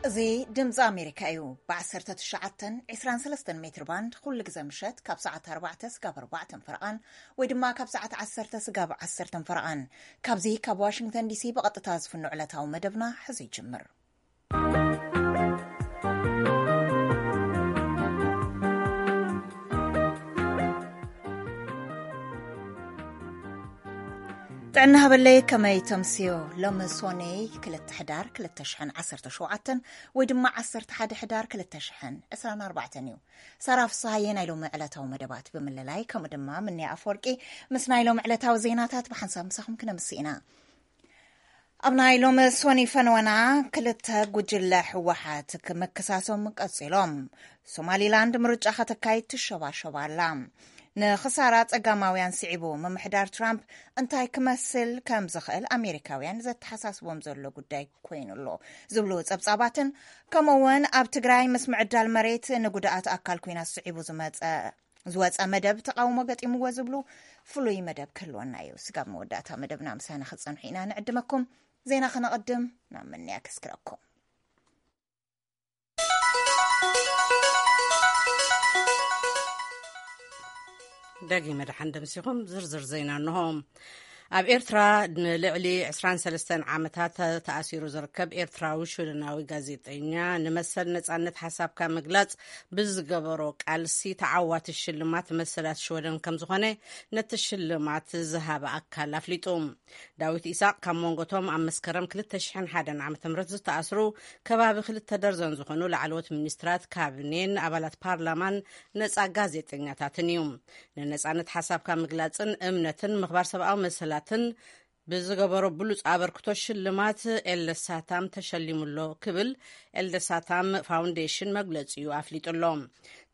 እዚ ድምፂ ኣሜሪካ እዩ። ብ19 23 ሜትር ባንድ ኩሉ ግዜ ምሸት ካብ ሰዓት ኣርባዕተ ስጋብ ኣርባዕተን ፈረቓን ወይ ድማ ካብ ሰዓት ዓሰርተ ስጋብ ዓሰርተን ፈረቓን፣ ካብዚ ካብ ዋሽንግተን ዲሲ ብቐጥታ ዝፍኖ ዕለታዊ መደብና ሕዚ ይጅምር። ጥዕና ሃበለይ፣ ከመይ ተምስዮ? ሎሚ ሶኔ ክልተ ሕዳር ክልተ ሽሕን ዓሰርተ ሸውዓተን ወይ ድማ ዓሰርተ ሓደ ሕዳር ክልተ ሽሕን ዕስራን ኣርባዕተን እዩ። ሳራ ፍስሃየ ናይ ሎሚ ዕለታዊ መደባት ብምልላይ፣ ከምኡ ድማ ምንያ ኣፈወርቂ ምስ ናይ ሎሚ ዕለታዊ ዜናታት ብሓንሳብ ምሳኹም ክነምስ ኢና። ኣብ ናይ ሎሚ ሶኒ ፈነወና፣ ክልተ ጉጅለ ህወሓት ክምክሳሶም ቀጺሎም። ሶማሊላንድ ምርጫ ከተካይድ ትሸባሸብ ኣላ። ንኽሳራ ጸጋማውያን ስዒቡ፣ ምምሕዳር ትራምፕ እንታይ ክመስል ከም ዝኽእል ኣሜሪካውያን ዘተሓሳስቦም ዘሎ ጉዳይ ኮይኑ ኣሎ ዝብሉ ጸብጻባትን፣ ከምኡ እውን ኣብ ትግራይ ምስ ምዕዳል መሬት ንጉድኣት ኣካል ኲናት ስዒቡ ዝመጸ ዝወጸ መደብ ተቓውሞ ገጢምዎ ዝብሉ ፍሉይ መደብ ክህልወና እዩ። ስጋብ መወዳእታ መደብና ምሳና ክትጸንሑ ኢና ንዕድመኩም። ዜና ከነቐድም ናብ ምንያ ከስክረኩም። ደጊመ ደሓን ደምሲኹም ዝርዝር ዜና እንሆ። ኣብ ኤርትራ ንልዕሊ ዕስራን ሰለስተን ዓመታት ተኣሲሩ ዝርከብ ኤርትራዊ ሽወደናዊ ጋዜጠኛ ንመሰል ነጻነት ሓሳብካ ምግላጽ ብዝገበሮ ቃልሲ ተዓዋቲ ሽልማት መሰላት ሽወደን ከም ዝኾነ ነቲ ሽልማት ዝሃበ ኣካል ኣፍሊጡ። ዳዊት ኢሳቕ ካብ መንጎቶም ኣብ መስከረም ክልተ ሽሕን ሓደን ዓመተ ምህረት ዝተኣስሩ ከባቢ ክልተ ደርዘን ዝኾኑ ላዕለዎት ሚኒስትራት ካቢኔን ኣባላት ፓርላማን ነጻ ጋዜጠኛታትን እዩ። ንነጻነት ሓሳብካ ምግላጽን እምነትን ምኽባር ሰብኣዊ መሰላትን ብዝገበሮ ብሉጽ ኣበርክቶ ሽልማት ኤልደሳታም ተሸሊሙሎ ክብል ኤልደሳታም ፋውንዴሽን መግለጺኡ ኣፍሊጡሎ።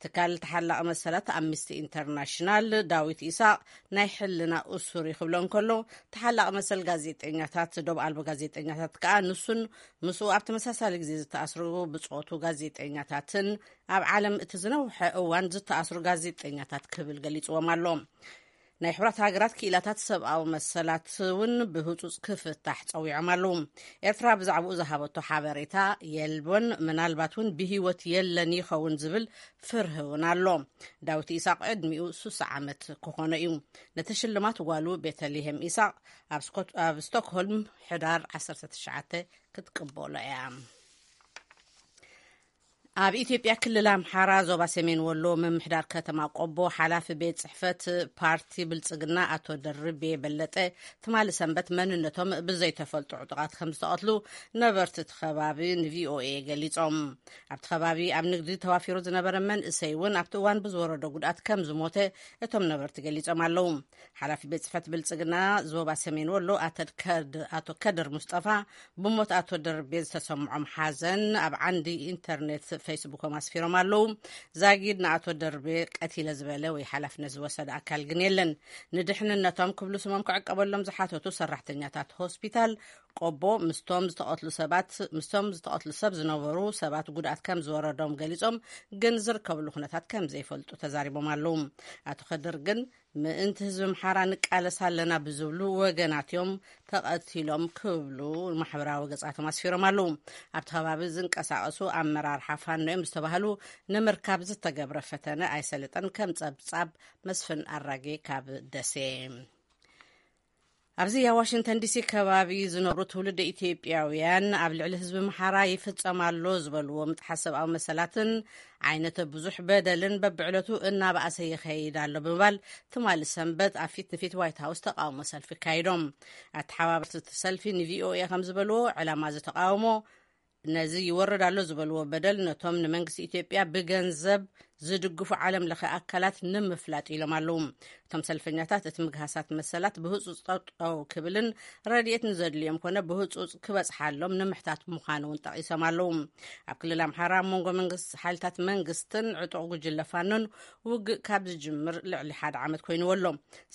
ትካል ተሓላቒ መሰላት ኣምኒስቲ ኢንተርናሽናል ዳዊት ኢሳቕ ናይ ሕልና እሱር እዩ ክብሎ እንከሎ፣ ተሓላቒ መሰል ጋዜጠኛታት፣ ዶብ ኣልቦ ጋዜጠኛታት ከኣ ንሱን ምስኡ ኣብ ተመሳሳሊ ግዜ ዝተኣስሩ ብጾቱ ጋዜጠኛታትን ኣብ ዓለም እቲ ዝነውሐ እዋን ዝተኣስሩ ጋዜጠኛታት ክብል ገሊጽዎም ኣሎ። ናይ ሕቡራት ሃገራት ክኢላታት ሰብኣዊ መሰላት እውን ብህጹጽ ክፍታሕ ጸዊዖም ኣለዉ። ኤርትራ ብዛዕባኡ ዝሃበቶ ሓበሬታ የልቦን፣ ምናልባት እውን ብህይወት የለን ይኸውን ዝብል ፍርሂ እውን ኣሎ። ዳዊት ኢሳቕ ዕድሚኡ ሱሳ ዓመት ክኾኖ እዩ። ነቲ ሽልማት ጓሉ ቤተልሄም ኢሳቕ ኣብ ስኮት-፣ ኣብ ስቶክሆልም ሕዳር ዓሰርተ ትሽዓተ ክትቅበሎ እያ። ኣብ ኢትዮጵያ ክልል ኣምሓራ ዞባ ሰሜን ወሎ ምምሕዳር ከተማ ቆቦ ሓላፊ ቤት ጽሕፈት ፓርቲ ብልጽግና ኣቶ ደርቤ በለጠ ትማሊ ሰንበት መንነቶም ብዘይተፈልጡ ዕጡቓት ከም ዝተቐትሉ ነበርቲ እቲ ከባቢ ንቪኦኤ ገሊጾም። ኣብቲ ከባቢ ኣብ ንግዲ ተዋፊሩ ዝነበረ መንእሰይ እውን ኣብቲ እዋን ብዝወረዶ ጉድኣት ከም ዝሞተ እቶም ነበርቲ ገሊጾም ኣለዉ። ሓላፊ ቤት ጽሕፈት ብልጽግና ዞባ ሰሜን ወሎ ኣቶ ከድ-፣ ኣቶ ከድር ሙስጠፋ ብሞት ኣቶ ደርቤ ዝተሰምዖም ሓዘን ኣብ ዓንዲ ኢንተርኔት ፌስቡኮም ኣስፊሮም ኣለዉ። ዛጊድ ንኣቶ ደርቤ ቀቲለ ዝበለ ወይ ሓላፍነት ዝወሰደ ኣካል ግን የለን። ንድሕንነቶም ክብሉ ስሞም ክዕቀበሎም ዝሓተቱ ሰራሕተኛታት ሆስፒታል ቆቦ ምስቶም ዝተቐትሉ ሰባት፣ ምስቶም ዝተቐትሉ ሰብ ዝነበሩ ሰባት ጉድኣት ከም ዝወረዶም ገሊጾም፣ ግን ዝርከብሉ ኩነታት ከም ዘይፈልጡ ተዛሪቦም ኣለዉ። ኣቶ ከድር ግን ምእንቲ ህዝቢ ኣምሓራ ንቃለስ ኣለና ብዝብሉ ወገናት እዮም ተቐቲሎም ክብሉ ማሕበራዊ ገጻቶም ኣስፊሮም ኣለዉ። ኣብቲ ከባቢ ዝንቀሳቐሱ ኣመራርሓ ፋኖ እዮም ዝተባህሉ ንምርካብ ዝተገብረ ፈተነ ኣይሰለጠን፣ ከም ጸብጻብ መስፍን ኣራጌ ካብ ደሴ። ኣብዚ ኣብ ዋሽንግተን ዲሲ ከባቢ ዝነብሩ ትውልደ ኢትዮጵያውያን ኣብ ልዕሊ ህዝቢ ኣምሓራ ይፍጸም ኣሎ ዝበልዎ ምጥሓስ ሰብኣዊ መሰላትን ዓይነት ብዙሕ በደልን በብዕለቱ እናበኣሰ ይኸይድ ኣሎ ብምባል ትማሊ ሰንበት ኣብ ፊት ንፊት ዋይት ሃውስ ተቃውሞ ሰልፊ ኣካይዶም። ኣተሓባበርቲ እቲ ሰልፊ ንቪኦኤ ከም ዝበልዎ፣ ዕላማ እዚ ተቃውሞ ነዚ ይወርድ ኣሎ ዝበልዎ በደል ነቶም ንመንግስቲ ኢትዮጵያ ብገንዘብ ዝድግፉ ዓለም ለኸ ኣካላት ንምፍላጥ ኢሎም ኣለዉ። እቶም ሰልፈኛታት እቲ ምግሃሳት መሰላት ብህጹጽ ጠጠው ክብልን ረድኤት ንዘድልዮም ኮነ ብህጹጽ ክበጽሓሎም ንምሕታት ምዃኑ እውን ጠቒሶም ኣለዉ። ኣብ ክልል ኣምሓራ ኣብ መንጎ መንግስቲ፣ ሓይልታት መንግስትን ዕጡቕ ጉጅለ ፋኖን ውግእ ካብ ዝጅምር ልዕሊ ሓደ ዓመት ኮይንዎ ኣሎ።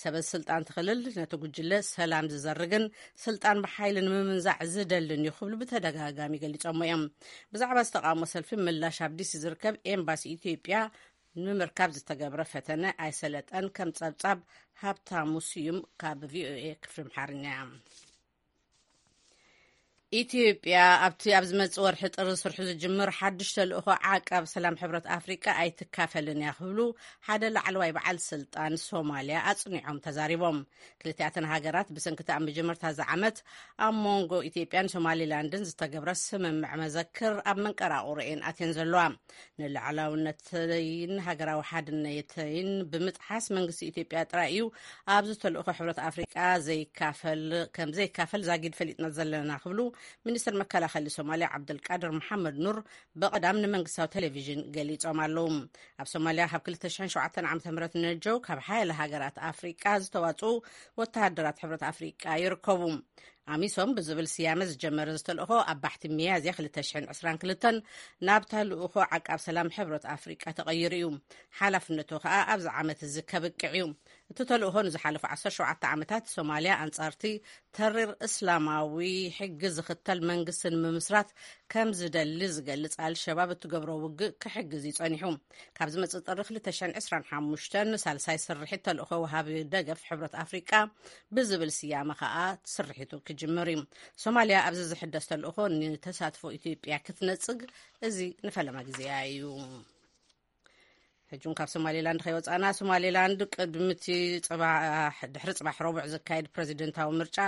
ሰበ ስልጣን እቲ ክልል ነቲ ጉጅለ ሰላም ዝዘርግን ስልጣን ብሓይሊ ንምምንዛዕ ዝደልን እዩ ክብሉ ብተደጋጋሚ ገሊጾሞ እዮም። ብዛዕባ ዝተቃውሞ ሰልፊ ምላሽ ኣብ ዲሲ ዝርከብ ኤምባሲ ኢትዮጵያ ንምርካብ ዝተገብረ ፈተነ ኣይሰለጠን። ከም ጸብጻብ ሃብታሙ ስዩም ካብ ቪኦኤ ክፍሊ ኣምሓርኛ። ኢትዮጵያ ኣብቲ ኣብ ዝመጽእ ወርሒ ጥሪ ስርሑ ዝጅምር ሓድሽ ተልእኾ ዓቃብ ሰላም ሕብረት ኣፍሪቃ ኣይትካፈልን እያ ክብሉ ሓደ ላዕለዋይ በዓል ስልጣን ሶማልያ ኣጽኒዖም ተዛሪቦም። ክልቲኣተን ሃገራት ብሰንክቲ ኣብ መጀመርታ እዚ ዓመት ኣብ መንጎ ኢትዮጵያን ሶማሊላንድን ዝተገብረ ስምምዕ መዘክር ኣብ መንቀራቑሮኤን ኣትየን ዘለዋ። ንልዕላውነተይን ሃገራዊ ሓድነተይን ብምጥሓስ መንግስቲ ኢትዮጵያ ጥራይ እዩ ኣብዚ ተልእኾ ሕብረት ኣፍሪቃ ዘይካፈል ከም ዘይካፈል ዛጊድ ፈሊጥና ዘለና ክብሉ ሚኒስትር መከላኸሊ ሶማልያ ዓብደልቃድር መሓመድ ኑር ብቐዳም ንመንግስታዊ ቴሌቪዥን ገሊጾም ኣለዉ። ኣብ ሶማልያ ካብ ክልተ ሽሕን ሸውዓተን ዓመተ ምህረት ንነጀው ካብ ሓያለ ሃገራት ኣፍሪቃ ዝተዋጽኡ ወተሃደራት ሕብረት ኣፍሪቃ ይርከቡ። ኣሚሶም ብዝብል ስያመ ዝጀመረ ዝተልእኾ ኣብ ባሕቲ ሚያዝያ ክልተ ሽሕን ዕስራን ክልተን ናብ ተልእኾ ዓቃብ ሰላም ሕብረት ኣፍሪቃ ተቐይሩ እዩ። ሓላፍነቱ ከኣ ኣብዚ ዓመት እዚ ከብቅዕ እዩ። እቲ ተልእኾ ንዝሓለፉ ዓሰርተ ሸውዓተ ዓመታት ሶማልያ ኣንጻርቲ ተሪር እስላማዊ ሕጊ ዝኽተል መንግስቲ ንምምስራት ከም ዝደሊ ዝገልጽ ኣልሸባብ እትገብሮ ውግእ ክሕግዝ እዩ ጸኒሑ። ካብ ዝመጽእ ጥሪ ክልተ ሽሕን ዕስራን ሓሙሽተን ሳልሳይ ስርሒት ተልእኾ ወሃቢ ደገፍ ሕብረት ኣፍሪቃ ብዝብል ስያመ ከኣ ስርሒቱ ክጅምር እዩ። ሶማልያ ኣብዚ ዝሕደስ ተልእኾ ንተሳትፎ ኢትዮጵያ ክትነጽግ እዚ ንፈለማ ግዜያ እዩ። ሕጂ እውን ካብ ሶማሌላንድ ከይወፃና፣ ሶማሌላንድ ቅድሚ እቲ ፅባሕ፣ ድሕሪ ፅባሕ ረቡዕ ዝካየድ ፕሬዚደንታዊ ምርጫ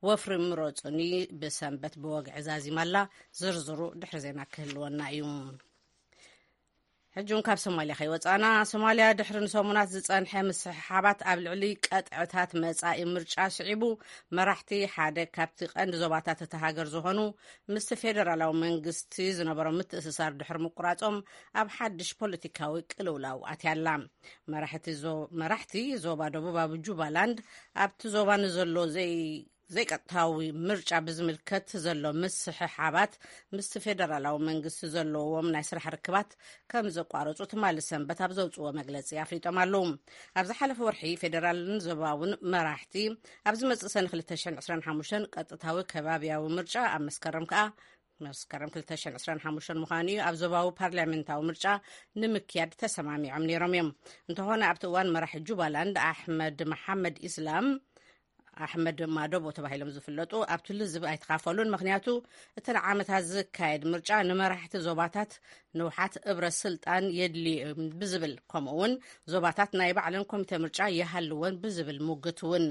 ወፍሪ ምረፁኒ ብሰንበት ብወግዒ ዛዚማ ኣላ። ዝርዝሩ ድሕሪ ዜና ክህልወና እዩ። ሕጂ እውን ካብ ሶማልያ ከይወፃና፣ ሶማልያ ድሕሪ ንሰሙናት ዝፀንሐ ምስሕሓባት ኣብ ልዕሊ ቀጥዕታት መፃኢ ምርጫ ስዒቡ፣ መራሕቲ ሓደ ካብቲ ቀንዲ ዞባታት እታ ሃገር ዝኾኑ ምስቲ ፌደራላዊ መንግስቲ ዝነበሮም ምትእስሳር ድሕሪ ምቁራጾም ኣብ ሓድሽ ፖለቲካዊ ቅልውላው ኣትያ ኣላ። መራሕቲ ዞ-፣ መራሕቲ ዞባ ደቡባዊ ጁባላንድ ኣብቲ ዞባ ንዘሎ ዘይ-፣ ዘይቀጥታዊ ምርጫ ብዝምልከት ዘሎ ምስሕሓባት ምስቲ ፌደራላዊ መንግስቲ ዘለዎም ናይ ስራሕ ርክባት ከም ዘቋረጹ ትማሊ ሰንበት ኣብ ዘውጽዎ መግለጺ ኣፍሊጦም ኣለዉ። ኣብ ዝሓለፈ ወርሒ ፌደራልን ዞባውን መራሕቲ ኣብ ዝመጽእ ሰነ ክልተ ሽሕን ዕስራን ሓሙሽተን ቀጥታዊ ከባብያዊ ምርጫ፣ ኣብ መስከረም ከኣ፣ መስከረም ክልተ ሽሕን ዕስራን ሓሙሽተን ምዃኑ እዩ፣ ኣብ ዞባዊ ፓርላሜንታዊ ምርጫ ንምክያድ ተሰማሚዖም ነይሮም እዮም። እንተኾነ ኣብቲ እዋን መራሒ ጁባላንድ ኣሕመድ መሓመድ ኢስላም፣ ኣሕመድ ማዶቦ ተባሂሎም ዝፍለጡ፣ ኣብቲ ልዝብ ኣይተኻፈሉን። ምኽንያቱ እቲ ንዓመታት ዝካየድ ምርጫ ንመራሕቲ ዞባታት ንውሓት እብረ ስልጣን የድልዮም ብዝብል፣ ከምኡ እውን ዞባታት ናይ ባዕለን ኮሚተ ምርጫ ይሃልወን ብዝብል ሙግት እውን።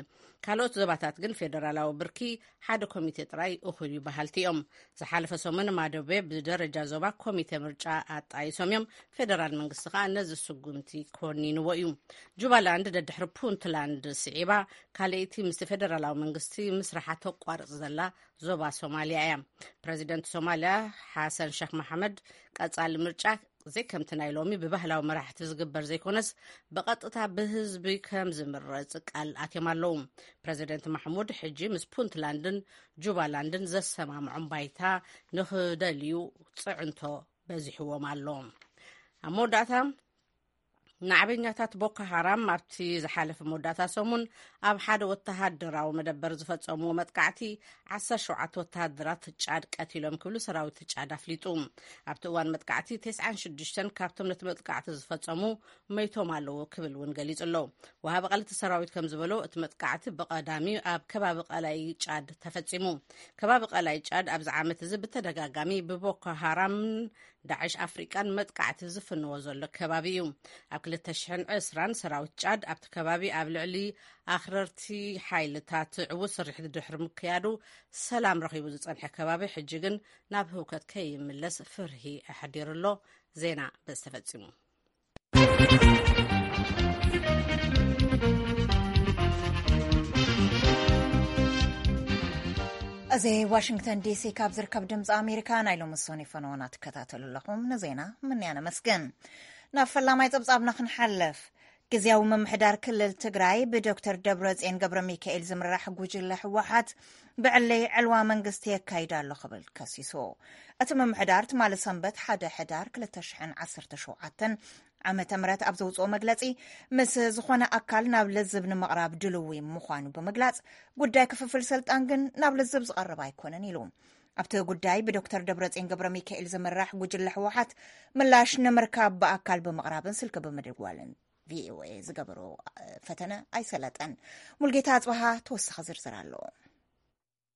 ካልኦት ዞባታት ግን ፌደራላዊ ብርኪ ሓደ ኮሚቴ ጥራይ እኹል እዩ በሃልቲ እዮም። ዝሓለፈ ሰሙን ማዶቤ ብደረጃ ዞባ ኮሚቴ ምርጫ ኣጣይሶም እዮም። ፌደራል መንግስቲ ከኣ ነዚ ስጉምቲ ኮኒንዎ እዩ። ጁባላንድ ደድሕሪ ፑንትላንድ ስዒባ ካልኣይቲ ምስቲ ፌደራላዊ መንግስቲ ምስራሓ ተቋርጽ ዘላ ዞባ ሶማልያ እያ። ፕረዚደንት ሶማልያ ሓሰን ሸክ መሓመድ ቀጻሊ ምርጫ ዘይከምቲ ናይ ሎሚ ብባህላዊ መራሕቲ ዝግበር ዘይኮነስ ብቐጥታ ብህዝቢ ከም ዝምረጽ ቃል ኣትዮም ኣለዉ። ፕረዚደንት ማሕሙድ ሕጂ ምስ ፑንትላንድን ጁባላንድን ዘሰማምዖም ባይታ ንኽደልዩ ጽዕንቶ በዚሕዎም ኣሎ። ኣብ መወዳእታ፣ ናዕበኛታት ቦኮ ሃራም ኣብቲ ዝሓለፈ መወዳእታ ሰሙን ኣብ ሓደ ወተሃደራዊ መደበር ዝፈጸምዎ መጥቃዕቲ ዓሰርተ ሸውዓተ ወተሃደራት ጫድ ቀቲሎም ክብሉ ሰራዊት ጫድ ኣፍሊጡ። ኣብቲ እዋን መጥቃዕቲ ተስዓን ሽዱሽተን ካብቶም ነቲ መጥቃዕቲ ዝፈጸሙ መይቶም ኣለዉ ክብል እውን ገሊጹ ኣሎ። ወሃቢ ቃል እቲ ሰራዊት ከም ዝበሎ፣ እቲ መጥቃዕቲ ብቐዳሚ ኣብ ከባቢ ቀላይ ጫድ ተፈጺሙ። ከባቢ ቀላይ ጫድ ኣብዚ ዓመት እዚ ብተደጋጋሚ ብቦኮ ሃራምን ዳዕሽ ኣፍሪቃን መጥቃዕቲ ዝፍንዎ ዘሎ ከባቢ እዩ። ኣብ ክልተ ሽሕን ዕስራን ሰራዊት ጫድ ኣብቲ ከባቢ ኣብ ልዕሊ ኣኽረርቲ ሓይልታት ዕዉት ስርሒት ድሕሪ ምክያዱ፣ ሰላም ረኺቡ ዝጸንሐ ከባቢ ሕጂ ግን ናብ ህውከት ከይምለስ ፍርሂ ኣሕዲሩ ኣሎ። ዜና በዚ ተፈጺሙ። እዚ ዋሽንግተን ዲሲ ካብ ዝርከብ ድምፂ ኣሜሪካ ናይ ሎሚ ሶኒ ፈነወና ትከታተሉ ኣለኹም። ንዜና ምንያ ነመስግን። ናብ ፈላማይ ጸብጻብና ክንሓልፍ፣ ግዝያዊ ምምሕዳር ክልል ትግራይ ብዶክተር ደብረጽዮን ገብረ ሚካኤል ዝምራሕ ጉጅለ ህወሓት ብዕለይ ዕልዋ መንግስቲ የካይድ ኣሎ ክብል ከሲሱ። እቲ ምምሕዳር ትማሊ ሰንበት ሓደ ሕዳር ክልተ ሽሕን ዓሰርተ ሸውዓተን ዓመተ ምህረት ኣብ ዘውፅኦ መግለፂ፣ ምስ ዝኾነ ኣካል ናብ ልዝብ ንምቕራብ ድልዊ ምዃኑ ብምግላፅ፣ ጉዳይ ክፍፍል ስልጣን ግን ናብ ልዝብ ዝቐርብ ኣይኮነን ኢሉ። ኣብቲ ጉዳይ ብዶክተር ደብረጽዮን ገብረ ሚካኤል ዝምራሕ ጉጅለ ህወሓት ምላሽ ንምርካብ ብኣካል ብምቕራብን ስልኪ ብምድዋልን ቪኦኤ ዝገበሮ ፈተነ ኣይሰለጠን። ሙልጌታ ኣጽበሃ ተወሳኺ ዝርዝር ኣለዎ።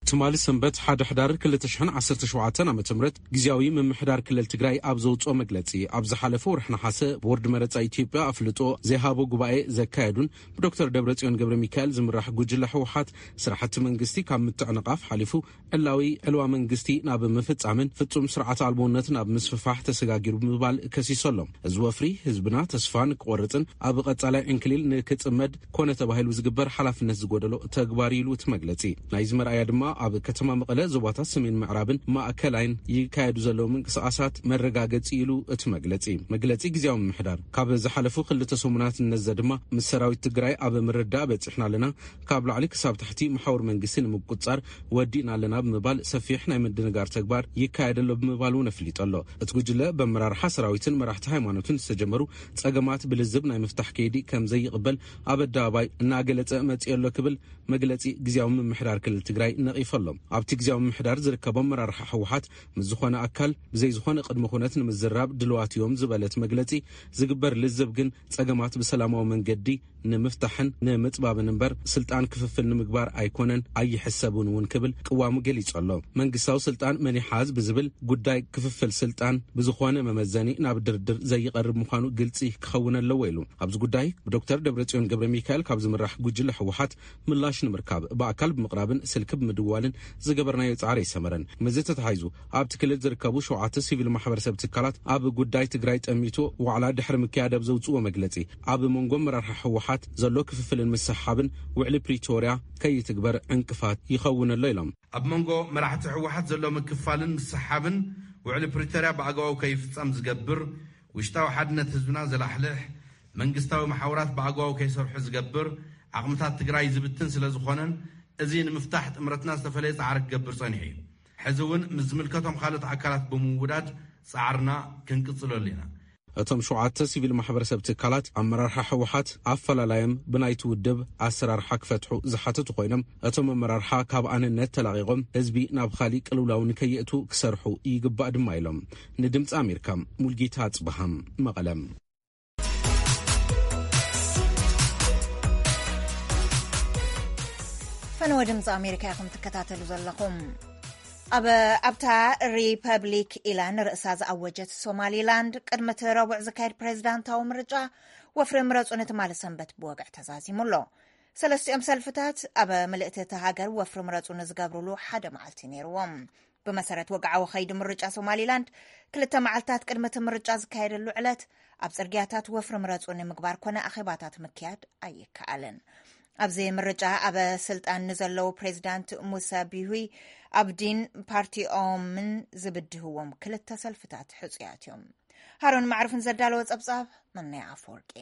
ትማሊ ሰንበት ሓደ ሕዳር ክልተ ሽሕን ዓሰርተ ሸውዓተን ዓመተ ምህረት ግዝያዊ ምምሕዳር ክልል ትግራይ ኣብ ዘውፅኦ መግለፂ፣ ኣብ ዝሓለፈ ወርሒ ነሓሰ ቦርድ መረፃ ኢትዮጵያ ኣፍልጦ ዘይሃቦ ጉባኤ ዘካየዱን ብዶክተር ደብረፅዮን ገብረ ሚካኤል ዝምራሕ ጉጅለ ህወሓት ስራሕቲ መንግስቲ ካብ ምትዕንቓፍ ሓሊፉ ዕላዊ ዕልዋ መንግስቲ ናብ ምፍፃምን ፍፁም ስርዓት ኣልቦነት ናብ ምስፍፋሕ ተሰጋጊሩ ብምባል ከሲሶ ኣሎ። እዚ ወፍሪ ህዝብና ተስፋ ንክቆርፅን ኣብ ቀፃላይ ዕንክሊል ንክፅመድ ኮነ ተባሂሉ ዝግበር ሓላፍነት ዝጎደሎ ተግባር ኢሉ እቲ መግለፂ። ናይዚ መርኣያ ድማ ኣብ ከተማ መቐለ ዞባታት ሰሜን ምዕራብን ማእከላይን ይካየዱ ዘለዉ ምንቅስቃሳት መረጋገፂ ኢሉ እቲ መግለፂ። መግለፂ ግዝያዊ ምምሕዳር ካብ ዝሓለፉ ክልተ ሰሙናት ንነዘ ድማ ምስ ሰራዊት ትግራይ ኣብ ምርዳእ በፂሕና ኣለና፣ ካብ ላዕሊ ክሳብ ታሕቲ መሓውር መንግስቲ ንምቁፅፃር ወዲእና ኣለና ብምባል ሰፊሕ ናይ ምድንጋር ተግባር ይካየድ ኣሎ ብምባል እውን ኣፍሊጡ ኣሎ። እቲ ጉጅለ በመራርሓ ሰራዊትን መራሕቲ ሃይማኖትን ዝተጀመሩ ጸገማት ብልዝብ ናይ ምፍታሕ ከይዲ ከም ዘይቕበል ኣብ ኣደባባይ እናገለጸ መጺኡ ኣሎ ክብል መግለጺ ግዝያዊ ምምሕዳር ክልል ትግራይ ነቒፉ ኣሎ። ኣብቲ ግዝያዊ ምምሕዳር ዝርከቦም መራርሓ ህወሓት ምስ ዝኾነ ኣካል ብዘይ ዝኾነ ቅድመ ኩነት ንምዝራብ ድልዋት እዮም ዝበለት መግለጺ፣ ዝግበር ልዝብ ግን ጸገማት ብሰላማዊ መንገዲ ንምፍታሕን ንምጽባብን እምበር ስልጣን ክፍፍል ንምግባር ኣይኮነን ኣይሕሰብን እውን ክብል ቅዋሙ ገሊጹ ኣሎ። መንግስታዊ ስልጣን መን ይሓዝ ብዝብል ጉዳይ ክፍፍል ስልጣን ብዝኾነ መመዘኒ ናብ ድርድር ዘይቐርብ ምዃኑ ግልጺ ክኸውን ኣለዎ ኢሉ። ኣብዚ ጉዳይ ብዶክተር ደብረጽዮን ገብረ ሚካኤል ካብ ዝምራሕ ጉጅለ ህወሓት ምላሽ ንምርካብ ብኣካል ብምቕራብን ስልኪ ብምድዋልን ዝገበርናዮ ጻዕሪ ኣይሰመረን። ምስዚ ተተሓሒዙ ኣብቲ ክልል ዝርከቡ ሸውዓተ ሲቪል ማሕበረሰብ ትካላት ኣብ ጉዳይ ትግራይ ጠሚቱ ዋዕላ ድሕሪ ምክያድ ኣብ ዘውፅዎ መግለፂ፣ ኣብ መንጎ ኣመራርሓ ህወሓት ዘሎ ክፍፍልን ምስሕሓብን ውዕሊ ፕሪቶርያ ከይትግበር ዕንቅፋት ይኸውን ኣሎ ኢሎም። ኣብ መንጎ መራሕቲ ህወሓት ዘሎ ምክፋልን ምስሕሓብን ውዕሊ ፕሪቶርያ ብኣግባቡ ከይፍፀም ዝገብር፣ ውሽጣዊ ሓድነት ህዝብና ዘላሕልሕ፣ መንግስታዊ መሓውራት ብኣግባቡ ከይሰርሑ ዝገብር፣ ዓቕምታት ትግራይ ዝብትን ስለ ዝኾነን፣ እዚ ንምፍታሕ ጥምረትና ዝተፈለየ ጻዕሪ ክገብር ጸኒሑ እዩ። ሕዚ እውን ምስ ዝምልከቶም ካልኦት ኣካላት ብምውዳድ ጻዕርና ክንቅጽለሉ ኢና። እቶም ሸውዓተ ሲቪል ማሕበረሰብ ትካላት ኣመራርሓ ህወሓት ኣፈላላዮም ብናይቲ ውድብ ኣሰራርሓ ክፈትሑ ዝሓተቱ ኮይኖም፣ እቶም ኣመራርሓ ካብ ኣንነት ተላቒቖም ህዝቢ ናብ ካሊእ ቅልውላው ንከየእቱ ክሰርሑ ይግባእ ድማ ኢሎም። ንድምፂ ኣሜሪካ ሙልጌታ ኣፅበሃም መቐለም። ፈነወ ድምፂ ኣሜሪካ ኢኹም ትከታተሉ ዘለኹም። ኣብ ኣብታ ሪፐብሊክ ኢላ ንርእሳ ዝኣወጀት ሶማሊላንድ ቅድሚ እቲ ረቡዕ ዝካየድ ፕሬዚዳንታዊ ምርጫ ወፍሪ ምረፁ ንትማሊ ሰንበት ብወግዒ ተዛዚሙ ኣሎ። ሰለስቲኦም ሰልፍታት ኣብ ምልእቲ እቲ ሃገር ወፍሪ ምረፁ ንዝገብሩሉ ሓደ መዓልቲ ነይርዎም። ብመሰረት ወግዓዊ ከይዲ ምርጫ ሶማሊላንድ ክልተ መዓልታት ቅድሚ እቲ ምርጫ ዝካየደሉ ዕለት ኣብ ጽርግያታት ወፍሪ ምረፁ ንምግባር ኮነ ኣኼባታት ምክያድ ኣይከኣልን። ኣብዚ ምርጫ ኣብ ስልጣን ንዘለዉ ፕሬዚዳንት ሙሳ ቢሂ ኣብዲን ፓርቲኦምን ዝብድህዎም ክልተ ሰልፍታት ሕፁያት እዮም። ሃሮን ማዕሩፍን ዘዳለወ ጸብጻብ መናይ ኣፈወርቂ።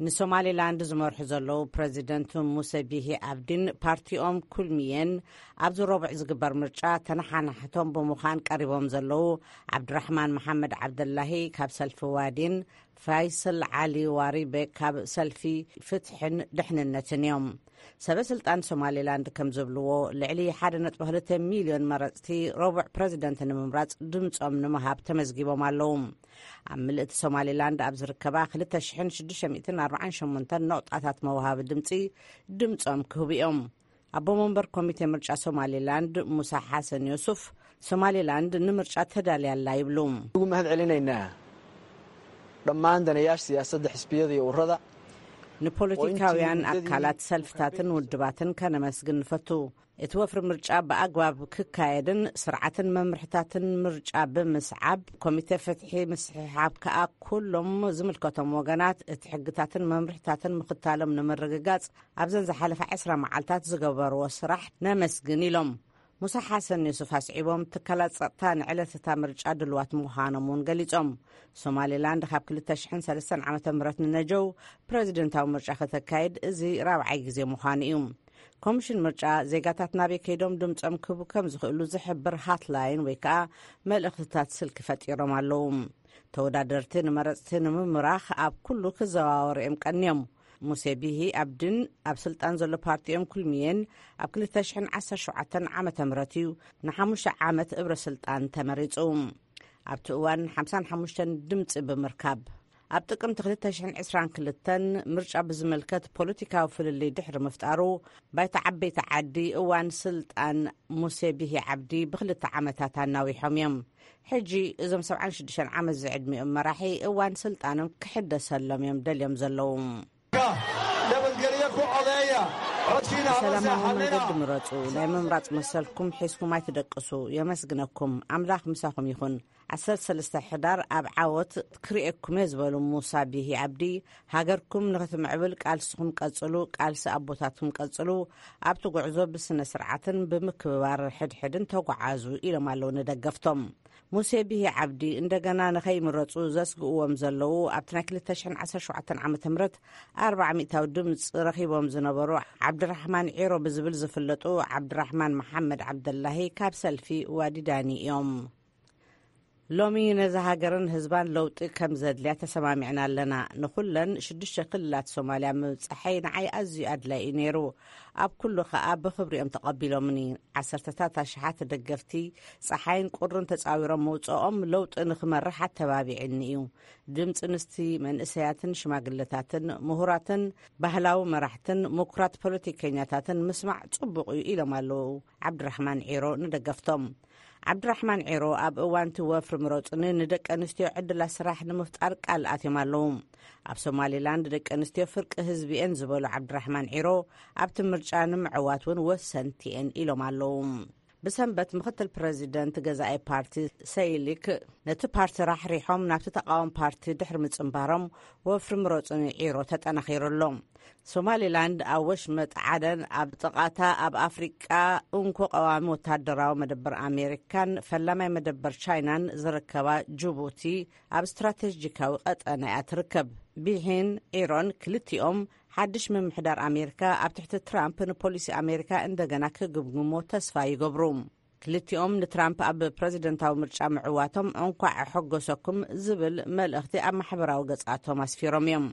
ንሶማሊላንድ ዝመርሑ ዘለዉ ፕረዚደንት ሙሰ ቢሂ ኣብዲን ፓርቲኦም ኩልሚየን ኣብዚ ረቡዕ ዝግበር ምርጫ ተነሓናሕቶም ብምዃን ቀሪቦም ዘለዉ ዓብድራሕማን መሓመድ ዓብደላሂ ካብ ሰልፊ ዋዲን ፋይሰል ዓሊ ዋሪበ ካብ ሰልፊ ፍትሕን ድሕንነትን እዮም። ሰበ ስልጣን ሶማሊላንድ ከም ዝብልዎ ልዕሊ ሓደ ነጥቢ ክልተ ሚልዮን መረፅቲ ረቡዕ ፕረዚደንት ንምምራፅ ድምፆም ንምሃብ ተመዝጊቦም ኣለዉ። ኣብ ምልእቲ ሶማሊላንድ ኣብ ዝርከባ ክልተ ሽሕን ሽዱሽተ ሚእትን ኣርባዓን ሸሞንተን ነቑጣታት መውሃቢ ድምፂ ድምፆም ክህቡ እዮም። ኣቦ መንበር ኮሚቴ ምርጫ ሶማሊላንድ ሙሳ ሓሰን ዮሱፍ ሶማሊላንድ ንምርጫ ተዳልያ ኣላ ይብሉ። Ugu mahad celinaynaa dhammaan daneeyaasha siyaasadda, xisbiyada iyo ururada. ንፖለቲካውያን ኣካላት፣ ሰልፍታትን ውድባትን ከነመስግን ንፈቱ። እቲ ወፍሪ ምርጫ ብኣግባብ ክካየድን ስርዓትን መምርሕታትን ምርጫ ብምስዓብ ኮሚቴ ፍትሒ ምስሕሓብ ከኣ ኩሎም ዝምልከቶም ወገናት እቲ ሕግታትን መምርሕታትን ምኽታሎም ንምርግጋጽ ኣብዘን ዝሓለፋ ዕስራ መዓልታት ዝገበርዎ ስራሕ ነመስግን ኢሎም። ሙሳ ሓሰን ዩሱፍ ኣስዒቦም ትካላት ጸጥታ ንዕለት እታ ምርጫ ድልዋት ምዃኖም እውን ገሊጾም። ሶማሊላንድ ካብ ክልተ ሽሕን ሰለስተን ዓመተ ምህረት ንነጀው ፕረዚደንታዊ ምርጫ ከተካይድ እዚ ራብዓይ ግዜ ምዃኑ እዩ። ኮሚሽን ምርጫ ዜጋታት ናበይ ከይዶም ድምጾም ክህቡ ከም ዝኽእሉ ዝሕብር ሃትላይን ወይ ከኣ መልእኽትታት ስልኪ ፈጢሮም ኣለዉ። ተወዳደርቲ ንመረጽቲ ንምምራኽ ኣብ ኩሉ ክዘዋወሩ እዮም ቀንዮም። ሙሴ ቢሂ ኣብድን ኣብ ስልጣን ዘሎ ፓርቲኦም ኩልሚየን ኣብ ክልተ ሽሕን ዓሰርተ ሸውዓተን ዓመተ ምህረት እዩ ንሓሙሽተ ዓመት እብረ ስልጣን ተመሪጹ። ኣብቲ እዋን ሓምሳን ሓሙሽተን ድምጺ ብምርካብ ኣብ ጥቅምቲ ክልተ ሽሕን ዕስራን ክልተን ምርጫ ብዝምልከት ፖለቲካዊ ፍልልይ ድሕሪ ምፍጣሩ፣ ባይታ ዓበይቲ ዓዲ እዋን ስልጣን ሙሴ ቢሂ ዓብዲ ብክልተ ዓመታት ኣናዊሖም እዮም። ሕጂ እዞም ሰብዓን ሽዱሽተን ዓመት ዝዕድሚኦም መራሒ እዋን ስልጣኖም ክሕደሰሎም እዮም ደልዮም ዘለዉ። ብሰላማዊ መንገዲ ምረፁ። ናይ ምምራፅ መሰልኩም ሒዝኩም ኣይትደቅሱ። የመስግነኩም። ኣምላኽ ምሳኹም ይኹን። ዓሰርተ ሰለስተ ሕዳር ኣብ ዓወት ክርእየኩም እየ ዝበሉ ሙሳ ቢሂ ዓብዲ፣ ሃገርኩም ንኽትምዕብል ቃልስኹም ቀጽሉ፣ ቃልሲ ኣቦታትኩም ቀጽሉ፣ ኣብቲ ጉዕዞ ብስነ ስርዓትን ብምክብባር ሕድሕድን ተጓዓዙ ኢሎም ኣለዉ ንደገፍቶም። ሙሴ ቢሂ ዓብዲ እንደገና ንኸይምረጹ ዘስግእዎም ዘለዉ ኣብቲ ናይ ክልተ ሽሕን ዓሰርተ ሸውዓተን ዓመተ ምህረት ኣርብዓ ሚእታዊ ድምፂ ረኺቦም ዝነበሩ ዓብድራሕማን ዒሮ ብዝብል ዝፍለጡ ዓብድራሕማን መሓመድ ዓብደላሂ ካብ ሰልፊ ዋዲዳኒ እዮም። ሎሚ ነዛ ሃገርን ህዝባን ለውጢ ከም ዘድልያ ተሰማሚዕና ኣለና። ንኹለን ሽዱሽተ ክልላት ሶማልያ ምብጻሐይ ንዓይ ኣዝዩ ኣድላይ እዩ ነይሩ። ኣብ ኩሉ ከኣ ብኽብሪ እዮም ተቐቢሎምኒ። ዓሰርተታት ኣሽሓት ደገፍቲ ጸሓይን ቁርን ተጻዊሮም መውጽኦም ለውጢ ንኽመርሕ ኣተባቢዕኒ እዩ። ድምጺ ንስቲ መንእሰያትን ሽማግለታትን ምሁራትን ባህላዊ መራሕትን ምኩራት ፖለቲከኛታትን ምስማዕ ጽቡቕ እዩ ኢሎም ኣለዉ። ዓብድራሕማን ዒሮ ንደገፍቶም። ዓብድራሕማን ዒሮ ኣብ እዋን እቲ ወፍሪ ምረጹኒ ንደቂ ኣንስትዮ ዕድላት ስራሕ ንምፍጣር ቃል ኣትዮም ኣለዉ። ኣብ ሶማሊላንድ ደቂ ኣንስትዮ ፍርቂ ህዝቢ እየን ዝበሉ ዓብድራሕማን ዒሮ ኣብቲ ምርጫ ንምዕዋት እውን ወሰንቲ እየን ኢሎም ኣለዉ። ብሰንበት ምክትል ፕረዚደንት ገዛኢ ፓርቲ ሰይሊክ ነቲ ፓርቲ ራሕሪሖም ናብቲ ተቃዋሚ ፓርቲ ድሕሪ ምጽንባሮም ወፍሪ ምረጹኒ ዒሮ ተጠናኺሩ ኣሎ። ሶማሊላንድ ኣብ ወሽመጥ ዓደን ኣብ ጥቓታ ኣብ ኣፍሪቃ እንኮ ቀዋሚ ወታደራዊ መደበር ኣሜሪካን ፈላማይ መደበር ቻይናን ዝርከባ ጅቡቲ ኣብ ስትራቴጂካዊ ቀጠና እያ ትርከብ። ቢሂን ዒሮን ክልቲኦም ሓድሽ ምምሕዳር ኣሜሪካ ኣብ ትሕቲ ትራምፕ ንፖሊሲ ኣሜሪካ እንደገና ክግምግሞ ተስፋ ይገብሩ። ክልቲኦም ንትራምፕ ኣብ ፕረዚደንታዊ ምርጫ ምዕዋቶም እንኳዕ ኣሐጎሰኩም ዝብል መልእኽቲ ኣብ ማሕበራዊ ገጻቶም ኣስፊሮም እዮም።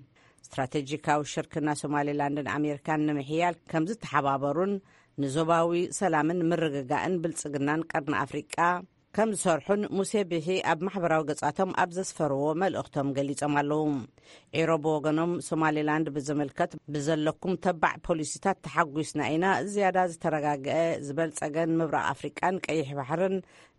ስትራቴጂካዊ ሽርክና ሶማሌላንድን ኣሜሪካን ንምሕያል ከም ዝተሓባበሩን ንዞባዊ ሰላምን ምርግጋእን ብልጽግናን ቀርኒ ኣፍሪቃ ከም ዝሰርሑን ሙሴ ቢሒ ኣብ ማሕበራዊ ገጻቶም ኣብ ዘስፈርዎ መልእኽቶም ገሊጾም ኣለዉ። ዒሮ ብወገኖም ሶማሌላንድ ብዝምልከት ብዘለኩም ተባዕ ፖሊሲታት ተሓጒስና ኢና፣ ዝያዳ ዝተረጋግአ ዝበልጸገን ምብራቕ ኣፍሪቃን ቀይሕ ባሕርን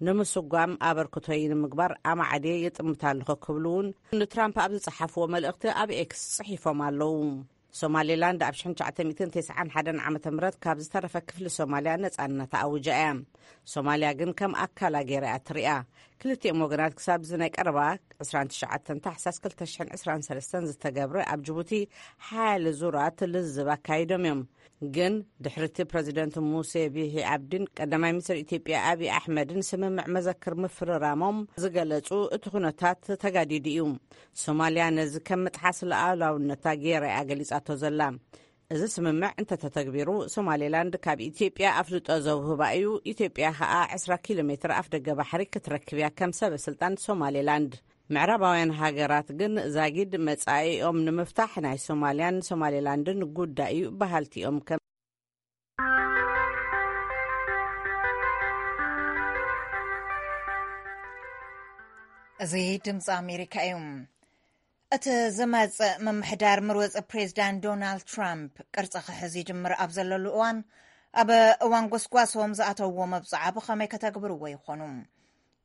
ንምስጓም ኣበርክቶይ ንምግባር ኣማዕድየ ይጥምት ኣለኹ ክብሉ እውን ንትራምፕ ኣብ ዝጸሓፍዎ መልእኽቲ ኣብ ኤክስ ጽሒፎም ኣለዉ። ሶማሌላንድ ኣብ ሽሕን ትሽዓተ ሚእትን ተስዓን ሓደን ዓመተ ምህረት ካብ ዝተረፈ ክፍሊ ሶማልያ ነጻነታ ኣውጃ እያ። ሶማልያ ግን ከም ኣካላ ገይራ እያ ትሪኣ። ክልቲኦም ወገናት ክሳብ እዚ ናይ ቀረባ ዕስራን ትሽዓተን ታሕሳስ ክልተ ሽሕን ዕስራን ሰለስተን ዝተገብረ ኣብ ጅቡቲ ሓያለ ዙራት ልዝብ ኣካይዶም እዮም። ግን ድሕሪ እቲ ፕረዚደንት ሙሴ ቢሂ ዓብዲን ቀዳማይ ሚኒስትር ኢትዮጵያ ኣብይ ኣሕመድን ስምምዕ መዘክር ምፍርራሞም ዝገለጹ እቲ ኩነታት ተጋዲዱ እዩ። ሶማልያ ነዚ ከም ምጥሓስ ሉዓላውነታ ገይራ እያ ገሊጻቶ ዘላ። እዚ ስምምዕ እንተተተግቢሩ ሶማሌላንድ ካብ ኢትዮጵያ ኣፍልጦ ዘውህባ እዩ። ኢትዮጵያ ከኣ ዕስራ ኪሎ ሜትር ኣፍደገ ባሕሪ ክትረክብ እያ ከም ሰበ ስልጣን ሶማሌላንድ። ምዕራባውያን ሃገራት ግን ዛጊድ መጻኢኦም ንምፍታሕ ናይ ሶማልያን ሶማሌላንድን ጉዳይ እዩ በሃልቲ እዮም። ከም እዚ ድምፂ ኣሜሪካ እዩ። እቲ ዝመጽእ ምምሕዳር ምሩጽ ፕሬዚዳንት ዶናልድ ትራምፕ ቅርጺ ክሕዝ ይጅምር ኣብ ዘለሉ እዋን፣ ኣብ እዋን ጎስጓሶም ዝኣተውዎ መብጽዓ ብኸመይ ከተግብርዎ ይኾኑ?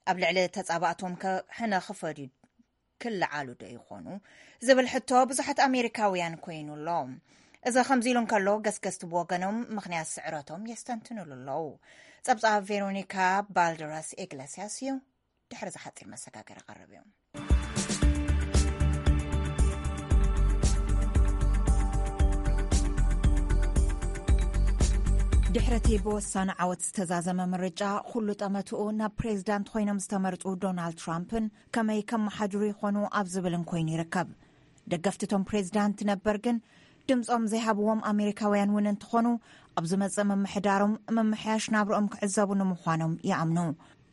ኣብ ልዕሊ ተጻባእቶም ከ ሕነ ክፈድዩ ክለዓሉ ዶ ይኾኑ? ዝብል ሕቶ ብዙሓት ኣሜሪካውያን ኮይኑ ኣሎ። እዚ ከምዚ ኢሉ እንከሎ፣ ገስገስቲ ብወገኖም ምኽንያት ስዕረቶም የስተንትኑሉ ኣለዉ። ጸብጻብ ቬሮኒካ ባልደራስ ኢግለስያስ እዩ። ድሕሪ ዝሓጺር መሰጋገሪ ቀርብ እዩ። ድሕረቲ ብወሳኒ ዓወት ዝተዛዘመ ምርጫ፣ ኩሉ ጠመትኡ ናብ ፕሬዝዳንት ኮይኖም ዝተመርጹ ዶናልድ ትራምፕን ከመይ ከመሓድሩ ይኾኑ ኣብ ዝብልን ኮይኑ ይርከብ። ደገፍቲ እቶም ፕሬዝዳንት ነበር ግን ድምጾም ዘይሃብዎም ኣሜሪካውያን እውን እንትኾኑ፣ ኣብ ዝመጽእ ምምሕዳሮም ምምሕያሽ ናብርኦም ክዕዘቡ ንምዃኖም ይኣምኑ።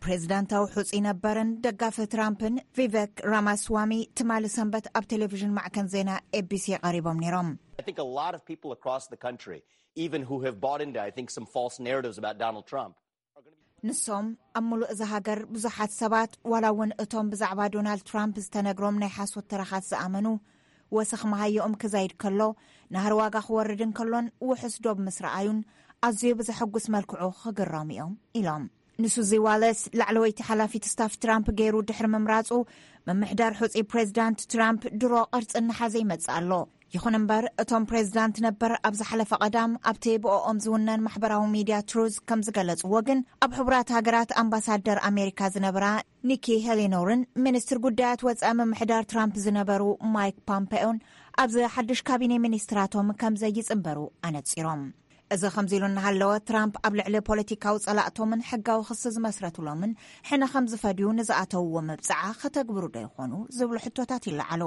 ፕሬዝዳንታዊ ሕጹይ ነበርን ደጋፊ ትራምፕን ቪቨክ ራማስዋሚ ትማሊ ሰንበት ኣብ ቴሌቪዥን ማዕከን ዜና ኤቢሲ ቀሪቦም ነይሮም። I think a lot of people across the country, even who have bought into, I think, some false narratives about Donald Trump, ንሶም ኣብ ምሉእ እዛ ሃገር ብዙሓት ሰባት፣ ዋላ እውን እቶም ብዛዕባ ዶናልድ ትራምፕ ዝተነግሮም ናይ ሓሶት ተረኻት ዝኣመኑ፣ ወሰኽ መሃዮኦም ክዛይድ ከሎ፣ ናህሪ ዋጋ ክወርድ እንከሎን ውሑስ ዶብ ምስ ረኣዩን ኣዝዩ ብዘሐጉስ መልክዑ ክግረሙ እዮም ኢሎም። ንሱዚ ዋለስ፣ ላዕለወይቲ ሓላፊት ስታፍ ትራምፕ ገይሩ ድሕሪ ምምራጹ፣ ምምሕዳር ሕጹይ ፕሬዚዳንት ትራምፕ ድሮ ቅርጺ እናሓዘ ይመጽእ ኣሎ። ይኹን እምበር፣ እቶም ፕሬዚዳንት ነበር ኣብ ዝሓለፈ ቀዳም ኣብቲ ብኦኦም ዝውነን ማሕበራዊ ሚድያ ትሩዝ ከም ዝገለጽዎ ግን፣ ኣብ ሕቡራት ሃገራት ኣምባሳደር ኣሜሪካ ዝነበራ ኒኪ ሄሊኖርን ሚኒስትር ጉዳያት ወጻኢ ምምሕዳር ትራምፕ ዝነበሩ ማይክ ፖምፔዮን ኣብዚ ሓድሽ ካቢኔ ሚኒስትራቶም ከም ዘይጽንበሩ ኣነጺሮም። እዚ ከምዚ ኢሉ እናሃለወ፣ ትራምፕ ኣብ ልዕሊ ፖለቲካዊ ጸላእቶምን ሕጋዊ ክሲ ዝመስረትሎምን ሕነ ከም ዝፈድዩ ንዝኣተውዎ መብጽዓ ከተግብሩ ዶ ይኾኑ ዝብሉ ሕቶታት ይለዓሉ።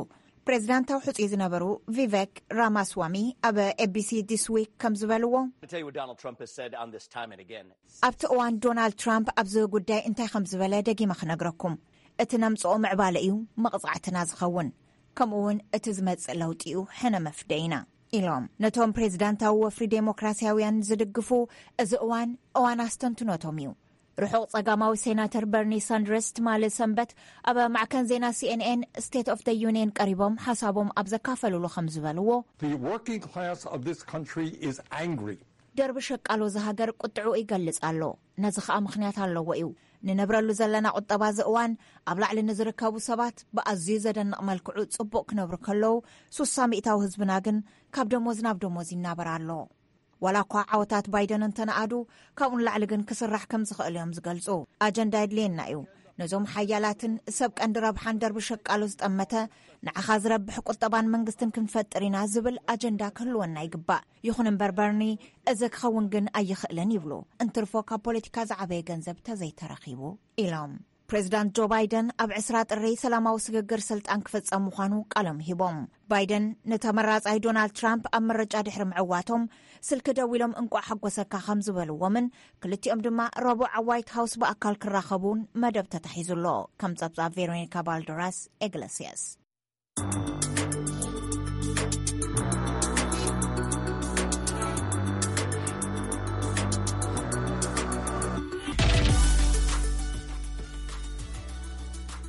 ፕሬዚዳንታዊ ሕጹይ ዝነበሩ ቪቨክ ራማስዋሚ ኣብ ኤቢሲ ዲስ ዊክ ከም ዝበልዎ፣ I tell you what Donald Trump has said on this time and again. ኣብቲ እዋን ዶናልድ ትራምፕ ኣብዚ ጉዳይ እንታይ ከም ዝበለ ደጊመ ክነግረኩም። እቲ ነምጽኦ ምዕባለ እዩ መቕጻዕትና ዝኸውን፣ ከምኡ እውን እቲ ዝመጽእ ለውጢ እዩ ሕነ መፍደይና ኢሎም። ነቶም ፕሬዚዳንታዊ ወፍሪ ዴሞክራሲያውያን ዝድግፉ፣ እዚ እዋን እዋን ኣስተንትኖቶም እዩ። ርሑቕ ጸጋማዊ ሴናተር በርኒ ሳንደርስ ትማሊ ሰንበት ኣብ ማዕከን ዜና ሲኤንኤን ስቴት ኦፍ ደ ዩኒየን ቀሪቦም ሓሳቦም ኣብ ዘካፈልሉ ከም ዝበልዎ፣ The working class of this country is angry. ደርቢ ሸቃሎ ዝሃገር ቁጥዑ ይገልጽ ኣሎ። ነዚ ከኣ ምኽንያት ኣለዎ እዩ። ንነብረሉ ዘለና ቁጠባ እዚ እዋን ኣብ ላዕሊ ንዝርከቡ ሰባት ብኣዝዩ ዘደንቕ መልክዑ ጽቡቕ ክነብሩ ከለዉ፣ ሱሳ ሚእታዊ ህዝብና ግን ካብ ደሞዝ ናብ ደሞዝ ይናበር ኣሎ። ዋላ እኳ ዓወታት ባይደን እንተነኣዱ፣ ካብኡ ንላዕሊ ግን ክስራሕ ከም ዝኽእል እዮም ዝገልጹ። ኣጀንዳ የድልየና እዩ። ነዞም ሓያላትን ሰብ ቀንዲ ረብሓን ደርቢ ሸቃሎ ዝጠመተ፣ ንዓኻ ዝረብሕ ቁጠባን መንግስትን ክንፈጥር ኢና ዝብል ኣጀንዳ ክህልወና ይግባእ። ይኹን እምበር በርኒ፣ እዚ ክኸውን ግን ኣይኽእልን ይብሉ። እንትርፎ ካብ ፖለቲካ ዝዓበየ ገንዘብ ተዘይተረኺቡ ኢሎም። ፕሬዚዳንት ጆ ባይደን ኣብ ዕስራ ጥሪ ሰላማዊ ስግግር ስልጣን ክፍጸም ምዃኑ ቃሎም ሂቦም። ባይደን ንተመራጻይ ዶናልድ ትራምፕ ኣብ ምርጫ ድሕሪ ምዕዋቶም ስልኪ ደዊሎም እንቋዕ ሓጎሰካ ከም ዝበልዎምን፣ ክልቲኦም ድማ ረቡዕ ኣብ ዋይት ሃውስ ብኣካል ክራኸቡን መደብ ተታሒዙ ኣሎ። ከም ጸብጻብ ቬሮኒካ ባልደራስ ኤግለሲያስ።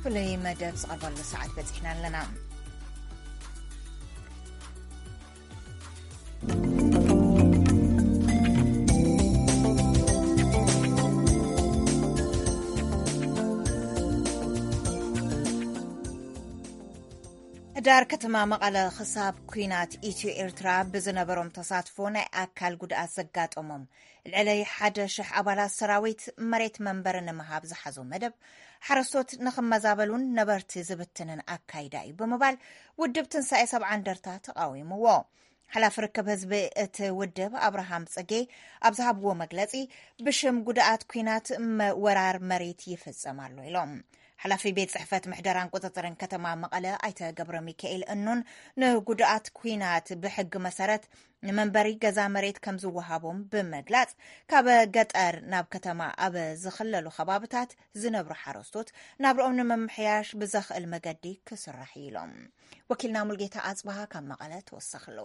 ፍሉይ መደብ ዝቐርበሉ ሰዓት በጺሕና ኣለና። ሕዳር ከተማ መቐለ ክሳብ ኲናት ኢትዮ ኤርትራ ብዝነበሮም ተሳትፎ ናይ ኣካል ጉድኣት ዘጋጠሞም ልዕሊ ሓደ ሽሕ ኣባላት ሰራዊት መሬት መንበሪ ንምሃብ ዝሓዞ መደብ ሓረስቶት ንኽመዛበሉን ነበርቲ ዝብትንን ኣካይዳ እዩ ብምባል ውድብ ትንሳኤ ሰብዓ እንደርታ ተቓዊምዎ። ሓላፊ ርክብ ህዝቢ እቲ ውድብ ኣብርሃም ጽጌ ኣብ ዝሃብዎ መግለጺ ብሽም ጉድኣት ኲናት ወራር መሬት ይፍጸም ኣሎ ኢሎም። ሓላፊ ቤት ጽሕፈት ምሕደራን ቁጽጽርን ከተማ መቐለ ኣይተ ገብረ ሚካኤል እኑን ንጉድኣት ኲናት ብሕጊ መሰረት ንመንበሪ ገዛ መሬት ከም ዝወሃቦም ብምግላጽ ካብ ገጠር ናብ ከተማ ኣብ ዝኽለሉ ከባብታት ዝነብሩ ሓረስቶት ናብርኦም ንምምሕያሽ ብዘኽእል መገዲ ክስራሕ እዩ ኢሎም። ወኪልና ሙልጌታ ኣጽብሃ ካብ መቐለ ተወሰኽሉ።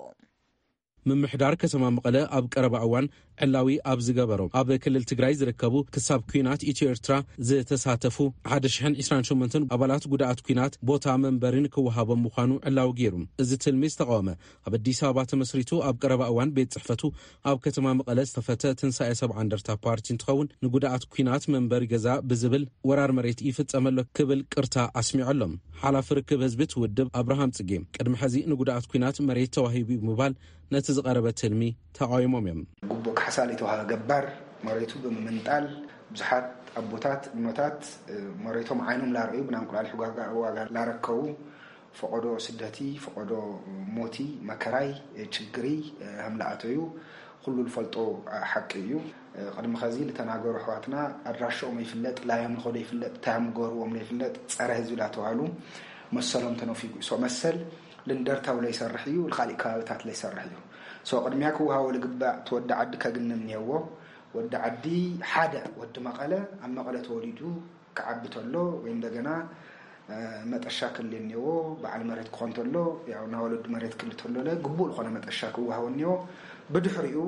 ምምሕዳር ከተማ መቐለ ኣብ ቀረባ እዋን ዕላዊ ኣብ ዝገበሮ ኣብ ክልል ትግራይ ዝርከቡ ክሳብ ኲናት ኢትዮ ኤርትራ ዝተሳተፉ ሓደ ሽሕን ዕስራን ሸሞንተን ኣባላት ጉድኣት ኲናት ቦታ መንበሪ ንክወሃቦም ምዃኑ ዕላዊ ገይሩ። እዚ ትልሚ ዝተቃወመ ኣብ ኣዲስ ኣበባ ተመስሪቱ ኣብ ቀረባ እዋን ቤት ጽሕፈቱ ኣብ ከተማ መቐለ ዝተኸፈተ ትንሳኤ ሰብዓ እንደርታ ፓርቲ እንትኸውን ንጉድኣት ኲናት መንበሪ ገዛ ብዝብል ወራር መሬት ይፍጸመሎ ክብል ቅርታ ኣስሚዑ ኣሎ። ሓላፊ ርክብ ህዝቢ እቲ ውድብ ኣብርሃም ጽጌ ቅድሚ ሕዚ ንጉድኣት ኲናት መሬት ተዋሂቡ ብምባል ነቲ ዝቐረበ ትልሚ ተቓዊሞም እዮም። ጉቦ ካሕሳ ለይተዋሃበ ገባር መሬቱ ብምምንጣል ብዙሓት ኣቦታት እኖታት መሬቶም ዓይኖም ላረዩ ብናንቁላሊሕ ዋጋ ላረከቡ ፈቐዶ ስደቲ ፈቐዶ ሞቲ መከራይ ችግሪ ከምለኣተዩ ኩሉ ዝፈልጦ ሓቂ እዩ። ቅድሚ ኸዚ ልተናገሩ ኣሕዋትና ኣድራሽኦም ይፍለጥ፣ ላዮም ልኸዶ ይፍለጥ፣ ታዮም ገርዎም ይፍለጥ፣ ጸረ ህዝቢ ላተባህሉ መሰሎም ተነፊጉ። ሶ መሰል ልንደርታው ለይሰርሕ እዩ፣ ልኻሊእ ከባብታት ለይሰርሕ እዩ። ሶ ቅድሚያ ክወሃቦ ልግባእ እቲ ወዲ ዓዲ ከግንን እኒሄዎ። ወዲ ዓዲ ሓደ ወዲ መቐለ ኣብ መቐለ ተወሊዱ ክዓቢ ተሎ ወይ እንደገና መጠሻ ክል እኒዎ በዓል መሬት ክኾን ተሎ ያው ናወለዱ መሬት ክል ተሎ ለ ግቡእ ዝኾነ መጠሻ ክወሃቦ እኒዎ። ብድሕሪኡ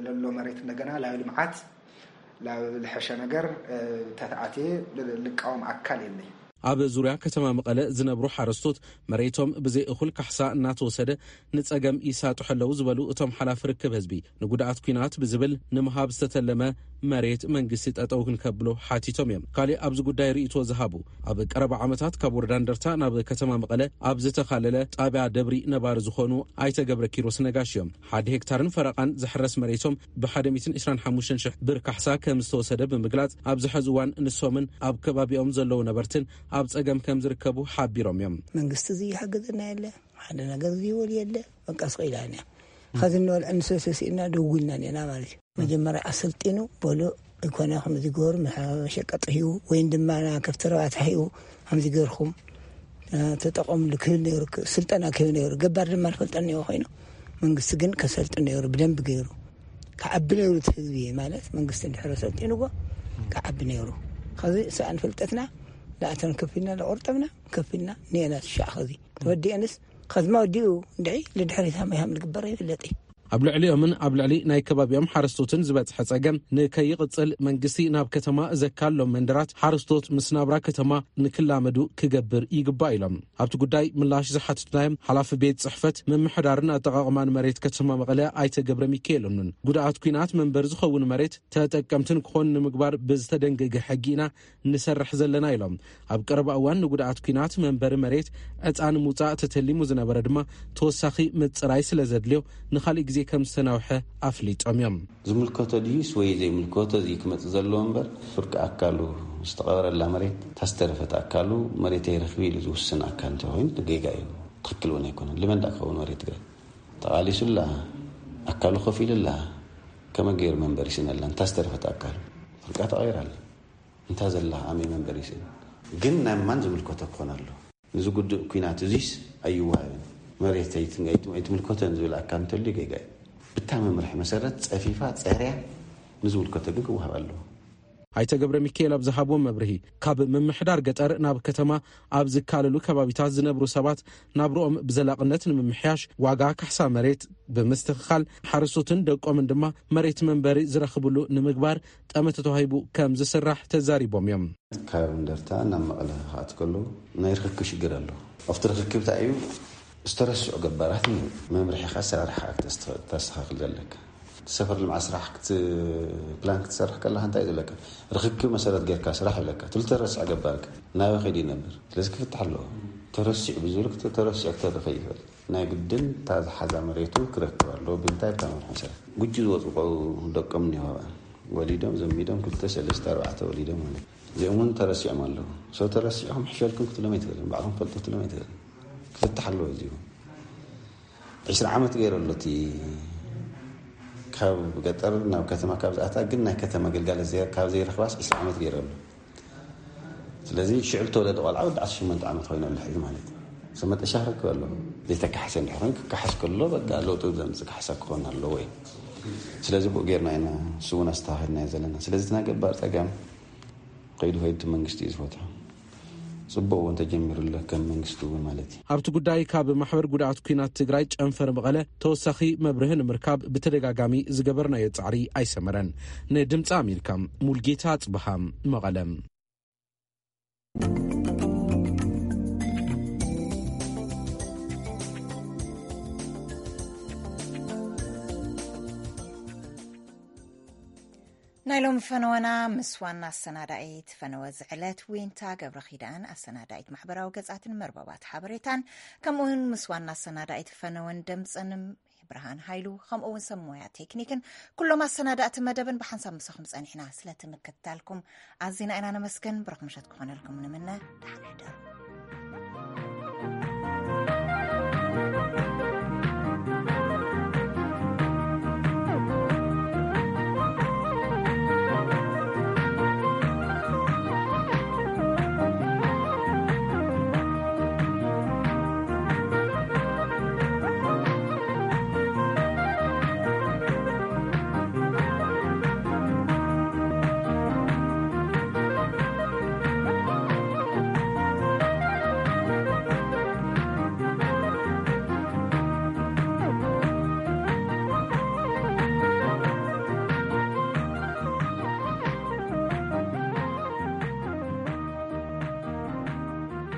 ለሎ መሬት እንደገና ላዩ ልምዓት ላብ ልሐሸ ነገር ተተኣትየ ልቃወም ኣካል የለይ። ኣብ ዙርያ ከተማ መቐለ ዝነብሩ ሓረስቶት መሬቶም ብዘይ እኹል ካሕሳ እናተወሰደ ንጸገም ይሳጥሑ ኣለዉ ዝበሉ እቶም ሓላፊ ርክብ ህዝቢ፣ ንጉድኣት ኲናት ብዝብል ንምሃብ ዝተተለመ መሬት መንግስቲ ጠጠው ክንከብሎ ሓቲቶም እዮም። ካሊእ ኣብዚ ጉዳይ ርእይቶ ዝሃቡ፣ ኣብ ቀረባ ዓመታት ካብ ወረዳ እንደርታ ናብ ከተማ መቐለ ኣብ ዝተኻለለ ጣብያ ደብሪ ነባሪ ዝኾኑ ኣይተ ገብረ ኪሮስ ነጋሽ እዮም። ሓደ ሄክታርን ፈረቓን ዝሕረስ መሬቶም ብ125,000 ብር ካሕሳ ከም ዝተወሰደ ብምግላጽ፣ ኣብዚ ሕዚ እዋን ንሶምን ኣብ ከባቢኦም ዘለዉ ነበርትን ኣብ ጸገም ከም ዝርከቡ ሓቢሮም እዮም። መንግስቲ እዚ ይሓግዘና የለ፣ ሓደ ነገር እዚ ይወል የለ፣ በቃ ስቕ ኢላና። ኸዚ እንበልዐ ንሰሰሲእና ደውልና ኔና ማለት እዩ። መጀመርያ ኣሰልጢኑ በሉ፣ ይኮነ ከምዚ ገሩ መሸቀጥ ሂቡ፣ ወይን ድማ ና ከፍቲ ረባታ ሂቡ፣ ከምዚ ገርኩም ተጠቐምሉ ክብል ነይሩ፣ ስልጠና ክህብ ነይሩ። ገባር ድማ ንፈልጠን ነይሩ ኮይኑ፣ መንግስቲ ግን ከሰልጥን ነይሩ፣ ብደንብ ገይሩ ክዓቢ ነይሩ። እቲ ህዝቢ ማለት መንግስቲ እንድሕረ ሰልጢንዎ ክዓቢ ነይሩ። ከዚ ሰኣን ፍልጠትና ላእተን ከፊልና፣ ለቆርጠምና ከፊልና ኔና ትሻዕ። ከዚ ተወዲአንስ ከዝማ ወዲኡ እንድዒ ልድሕሪት ሃመይ ሃም ልግበረ ይፍለጥ እዩ። ኣብ ልዕሊኦምን ኣብ ልዕሊ ናይ ከባቢኦም ሓረስቶትን ዝበጽሐ ጸገም ንከይቕጽል፣ መንግስቲ ናብ ከተማ ዘካሎም መንደራት ሓረስቶት ምስ ናብራ ከተማ ንክላመዱ ክገብር ይግባእ ኢሎም። ኣብቲ ጉዳይ ምላሽ ዝሓትትናዮም ሓላፊ ቤት ጽሕፈት ምምሕዳርን ኣጠቓቕማን መሬት ከተማ መቐለ ኣይተ ገብረ ሚካኤል እኑን፣ ጉድኣት ኲናት መንበሪ ዝኸውን መሬት ተጠቀምትን ክኾኑ ንምግባር ብዝተደንገገ ሕጊ ኢና ንሰርሕ ዘለና ኢሎም። ኣብ ቀረባ እዋን ንጉድኣት ኲናት መንበሪ መሬት ዕፃ ንምውፃእ ተተሊሙ ዝነበረ ድማ ተወሳኺ ምፅራይ ስለ ዘድልዮ ንኻሊእ ግዜ ከም ዝተናውሐ ኣፍሊጦም እዮም። ዝምልከቶ ድዩስ ወይ ዘይምልከቶ እዚ ክመፅእ ዘለዎ እምበር፣ ፍርቂ ኣካሉ ዝተቐበረላ መሬት፣ ታስተረፈት ኣካሉ መሬት ኣይረኽብ ኢሉ ዝውስን ኣካል እንተኾይኑ ጌጋ እዩ። ትኽክል እውን ኣይኮነን። ልመን ዳ ክኸውን መሬት ትግራይ ተቓሊሱላ፣ ኣካሉ ከፊሉላ፣ ከመ ገይሩ መንበሪ ስነላ እንታስተረፈት ኣካል ፍርቃ ተቐይራላ። እንታ ዘላ ኣመይ መንበሪ ስእን ግን ናይ ማን ዝምልከቶ ክኾን ኣሎ? ንዚ ጉድእ ኲናት እዚስ ኣይወሃብን፣ መሬት ኣይት-፣ ኣይት-፣ ኣይትምልከቶን ዝብል ኣካል እንተልዩ ጌጋ እዩ። ብታ መምርሒ መሰረት ጸፊፋ ጸርያ ንዝምልከቶ ግን ክወሃብ ኣለዎ። ኣይተ ገብረ ሚካኤል ኣብ ዝሃብዎ መብርሂ፣ ካብ ምምሕዳር ገጠር ናብ ከተማ ኣብ ዝካለሉ ከባቢታት ዝነብሩ ሰባት ናብርኦም ብዘላቕነት ንምምሕያሽ ዋጋ ካሕሳ መሬት ብምስትኽኻል፣ ሓረስቶትን ደቆምን ድማ መሬት መንበሪ ዝረኽብሉ ንምግባር ጠመተ ተዋሂቡ ከም ዝስራሕ ተዛሪቦም እዮም። ካብ እንደርታ ናብ መቐለ ክኣት ከሎ ናይ ርክክብ ሽግር ኣሎ። ኣብቲ ርክክብ እንታይ እዩ? ዝተረስዑ ገባራት መምርሒኻ ኣሰራርሓ ክተስተኻኽል ዘለካ። ሰፈር ልምዓት ስራሕ ክት-፣ ፕላን ክትሰርሕ ከለኻ እንታይ እዩ ዘለካ? ርክክብ መሰረት ጌርካ ስራሕ ይብለካ። ትልተ ረስዐ ገባርካ ናበ ከይዱ ይነብር? ስለዚ ክፍትሕ ኣለዎ። ተረሲዑ ብዝብል ክት-፣ ተረሲዑ ክተርፍ ይኽእል። ናይ ግድን እታ ዝሓዛ መሬቱ ክረክብ ኣለዎ። ብምንታይ? ብታ መምርሒ መሰረት። ጉጂ ዝወፁ ቆ-፣ ደቆም እኒሆ። ወሊዶም፣ ዘሚዶም፣ ክልተ፣ ሰለስተ፣ ኣርባዕተ ወሊዶም ማለት እዩ። እዚኦም እውን ተረሲዖም ኣለዉ። ሰው ተረሲዕኩም ሕሸልኩም ክትሎም ኣይትኽእልን። ባዕልኩም ፈልጡ ክትሎም ኣይትኽእልን። ክፍትሕ ኣለዎ። እዚ እውን ዒስራ ዓመት ገይሩ ኣሎ። እቲ ካብ ገጠር ናብ ከተማ ካብ ዝኣታ ግን ናይ ከተማ ግልጋሎት ዘይ-፣ ካብ ዘይረኽባስ ዒስራ ዓመት ገይሩ ኣሎ። ስለዚ ሽዑ ዝተወለደ ቆልዓ ወዲ ዓሰርተ ሸሞንተ ዓመት ኮይኑ ኣሎ ሕዚ ማለት እዩ። ሰብ መጠሻ ክረክብ ኣለዎ። ዘይተካሕሰ እንድሕር ኮይኑ ክካሓስ ከሎ በቃ ለውጢ ዘምጽእ ካሕሳ ክኾን ኣለዎ እዩ። ስለዚ ብኡ ጌርና ኢና ንሱ እውን ኣስተኻኺልናዮ ዘለና። ስለዚ እቲ ናይ ገባር ጸገም ከይዱ ከይዱ እቲ መንግስቲ እዩ ዝፈትሖ። ጽቡቕ እውን ተጀሚሩ ኣሎ ከም መንግስቲ እውን ማለት እዩ። ኣብቲ ጉዳይ ካብ ማሕበር ጉድኣት ኲናት ትግራይ ጨንፈር መቐለ ተወሳኺ መብርሂ ንምርካብ ብተደጋጋሚ ዝገበርናዮ ጻዕሪ ኣይሰመረን። ንድምፂ ኣሜሪካ ሙልጌታ ኣጽብሃ መቐለ። ናይ ሎሚ ፈነወና ምስ ዋና ኣሰናዳኢት ፈነወ ዝዕለት ዊንታ ገብረ ኪዳን፣ ኣሰናዳኢት ማሕበራዊ ገጻትን መርበባት ሓበሬታን፣ ከምኡውን ምስ ዋና ኣሰናዳኢት ፈነወን ደምጸን ብርሃን ሃይሉ፣ ከምኡውን ሰብ ሞያ ቴክኒክን ኩሎም ኣሰናዳእቲ መደብን ብሓንሳብ ምሳኹም ጸኒሕና። ስለቲ ምክትታልኩም ኣዚና ኢና ነመስግን። ብሩኽ ምሸት ክኾነልኩም ንምነ። ደሓን